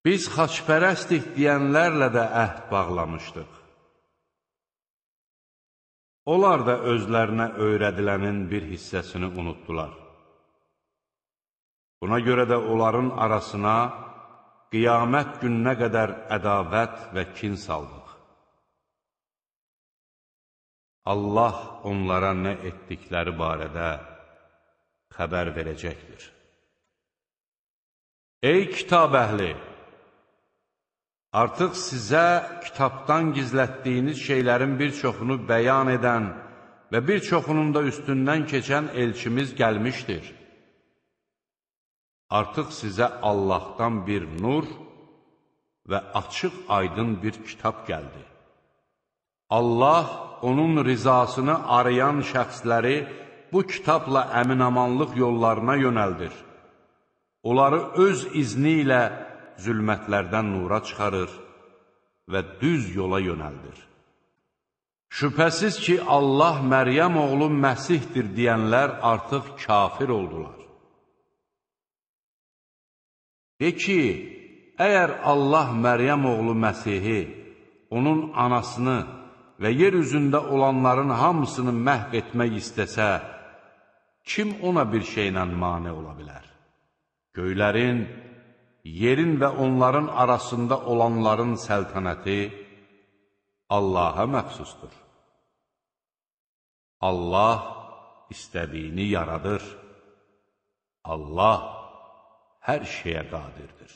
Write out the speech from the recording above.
Biz xaçpərəstik deyənlərlə də əhd bağlamışdıq. Onlar da özlərinə öyrədilənin bir hissəsini unutdular. Buna görə də onların arasına qiyamət gününə qədər ədavət və kin saldıq. Allah onlara nə etdikləri barədə xəbər verəcəkdir. Ey kitab əhli! Artıq sizə kitabdan gizlətdiyiniz şeylərin bir çoxunu bəyan edən və bir çoxunun da üstündən keçən elçimiz gəlmişdir. Artıq sizə Allahdan bir nur və açıq aydın bir kitab gəldi. Allah onun rizasını arayan şəxsləri bu kitabla əminamanlıq yollarına yönəldir. Onları öz izni ilə zülmətlərdən nura çıxarır və düz yola yönəldir. Şübhəsiz ki, Allah Məryəm oğlu Məsihdir deyənlər artıq kafir oldular. De ki, əgər Allah Məryəm oğlu Məsihi, onun anasını və yer üzündə olanların hamısını məhv etmək istəsə, kim ona bir şeylə mane ola bilər? Göylərin, yerin və onların arasında olanların səltənəti Allaha məxsusdur. Allah istədiyini yaradır. Allah hər şeyə qadirdir.